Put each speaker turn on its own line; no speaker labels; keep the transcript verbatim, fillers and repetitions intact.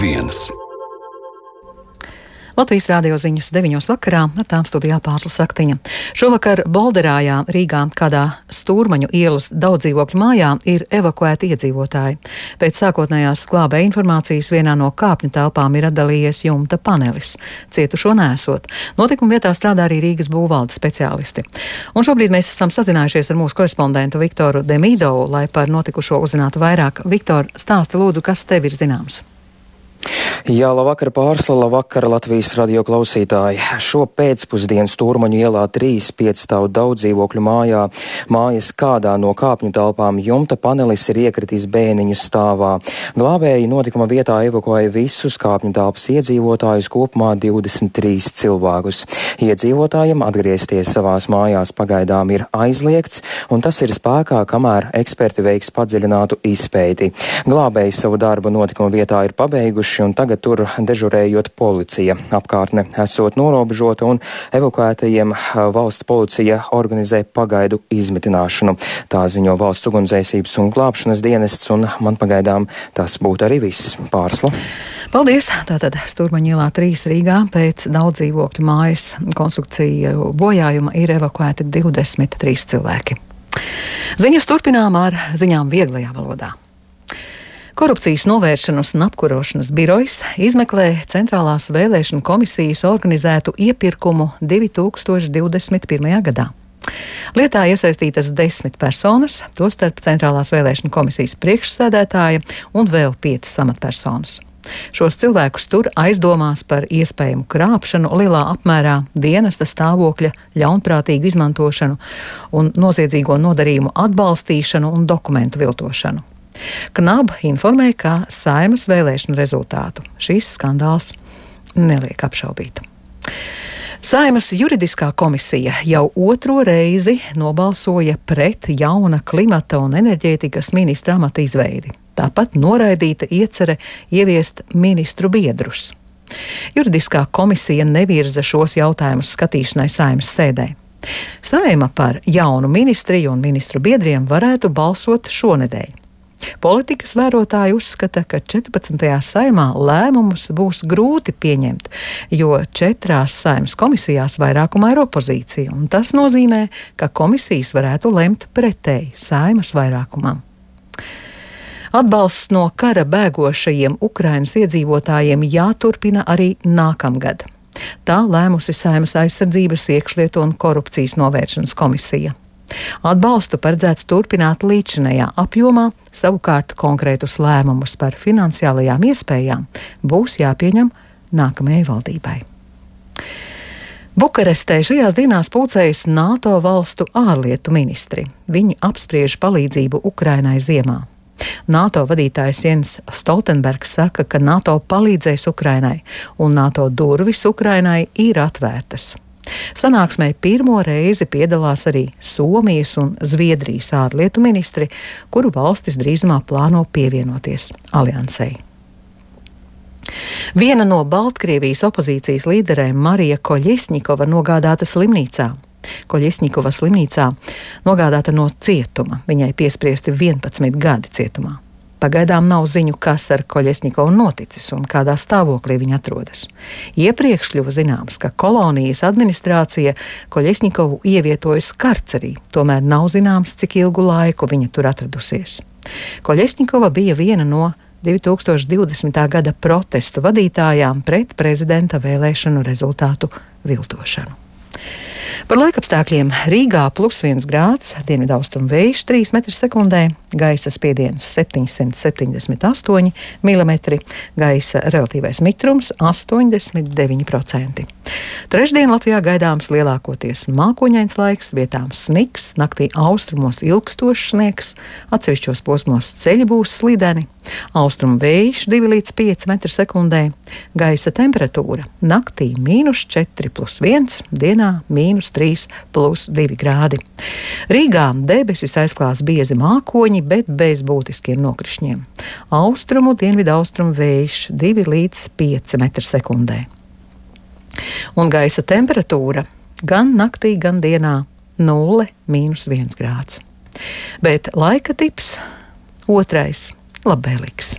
viens.
Latvijas rādio ziņas deviņos vakarā, ar tām studijā Pārsla Saktiņa. Šovakar Bolderājā, Rīgā, kādā Stūrmaņu ielas daudzdzīvokļu mājā, ir evakuēti iedzīvotāji. Pēc sākotnējās glābēja informācijas vienā no kāpņu telpām ir atdalījies jumta panelis. Cietušo nesot. Notikuma vietā strādā arī Rīgas būvvaldes speciālisti. Un šobrīd mēs esam sazinājušies ar mūsu korespondentu Viktoru Demīdovu, lai par notikušo uzzinātu vairāk. Viktor, stāsti lūdzu, kas tev ir zināms?
Jā, labvakar Pārsla, labvakar Latvijas radio klausītāji. Šo pēcpusdienu Stūrmaņu ielā trīs piecstāvu daudzdzīvokļu mājā, mājas kādā no kāpņu telpām jumta panelis ir iekritis bēniņu stāvā. Glābēji notikuma vietā evakuēja visus kāpņu telpas iedzīvotājus, kopumā divdesmit trīs cilvēkus. Iedzīvotājiem atgriezties savās mājās pagaidām ir aizliegts, un tas ir spēkā, kamēr eksperti veiks padziļinātu izpēti. Glābēji savu darbu notikuma vietā ir pabeiguši, un tagad tur dežurējot policija. Apkārtne esot norobežota un evakuētajiem valsts policija organizē pagaidu izmitināšanu. Tā ziņo valsts ugunsdzēsības un glābšanas dienests, un man pagaidām tas būtu arī viss. Pārsla.
Paldies! Tātad Stūrmaņu ielā trīs Rīgā pēc daudzdzīvokļu mājas konstrukciju bojājuma ir evakuēti divdesmit trīs cilvēki. Ziņas turpinām ar ziņām vieglajā valodā. Korupcijas novēršanas un apkarošanas birojs izmeklē Centrālās vēlēšanu komisijas organizētu iepirkumu divi tūkstoši divdesmit pirmajā gadā. Lietā iesaistītas desmit personas, tostarp Centrālās vēlēšanu komisijas priekšsēdētāja un vēl piecas amatpersonas. Šos cilvēkus tur aizdomās par iespējamu krāpšanu lielā apmērā, dienesta stāvokļa ļaunprātīgu izmantošanu un noziedzīgo nodarījumu atbalstīšanu un dokumentu viltošanu. Knaba informēja, ka Saeimas vēlēšanu rezultātu šīs skandāls neliek apšaubīt. Saeimas juridiskā komisija jau otro reizi nobalsoja pret jauna klimata un enerģētikas ministra amata izveidi. Tāpat noraidīta iecere ieviest ministru biedrus. Juridiskā komisija nevirza šos jautājumus skatīšanai Saeimas sēdē. Saeima par jaunu ministriju un ministru biedriem varētu balsot šonedēļ. Politikas vērotāji uzskata, ka četrpadsmitajā saimā lēmumus būs grūti pieņemt, jo četrās Saeimas komisijās vairākumā ir opozīcija, un tas nozīmē, ka komisijas varētu lemt pretēji Saeimas vairākumam. Atbalsts no kara bēgošajiem Ukrainas iedzīvotājiem jāturpina arī nākamgad. Tā lēmusi Saeimas aizsardzības, iekšlietu un korupcijas novēršanas komisija. Atbalstu paredzēts turpināt līdzinējā apjomā, savukārt konkrētus lēmumus par finansiālajām iespējām būs jāpieņem nākamajai valdībai. Bukarestē šajās dienās pulcējas NATO valstu ārlietu ministri. Viņi apspriež palīdzību Ukrainai ziemā. NATO vadītājs Jens Stoltenbergs saka, ka NATO palīdzēs Ukrainai, un NATO durvis Ukrainai ir atvērtas. Sanāksmē pirmo reizi piedalās arī Somijas un Zviedrijas ārlietu ministri, kuru valstis drīzumā plāno pievienoties aliansei. Viena no Baltkrievijas opozīcijas līderēm, Marija Koļesņikova, nogādāta slimnīcā. Koļesņikova slimnīcā nogādāta no cietuma. Viņai piespriesti vienpadsmit gadi cietumā. Pagaidām nav ziņu, kas ar Koļesņikovu noticis un kādā stāvoklī viņa atrodas. Iepriekš kļuva zināms, ka kolonijas administrācija Koļesņikovu ievietojas karcerī, tomēr nav zināms, cik ilgu laiku viņa tur atradusies. Koļesņikova bija viena no divi tūkstoši divdesmitā gada protestu vadītājām pret prezidenta vēlēšanu rezultātu viltošanu. Par laikapstākļiem Rīgā plus viens grāds, dienvidaustrumu vējš trīs metri sekundē, gaisa spiediens septiņsimt septiņdesmit astoņi milimetri, gaisa relatīvais mitrums astoņdesmit deviņi procenti. Trešdien Latvijā gaidāms lielākoties mākoņains laiks, vietām sniks, naktī austrumos ilgstošs sniegs, atsevišķos posmos ceļi būs slideni, austrumu vējš divi līdz pieci metri sekundē, gaisa temperatūra naktī mīnus četri plus viens, dienā mīnus trīs plus divi grādi. Rīgā debesis aizklās biezi mākoņi, bet bez būtiskiem nokrišņiem. Austrumu, dienvidu austrumu vējš divi līdz pieci metri sekundē. Un gaisa temperatūra gan naktī, gan dienā nulle mīnus viens grāds. Bet laika tips otrais labvēlīgs.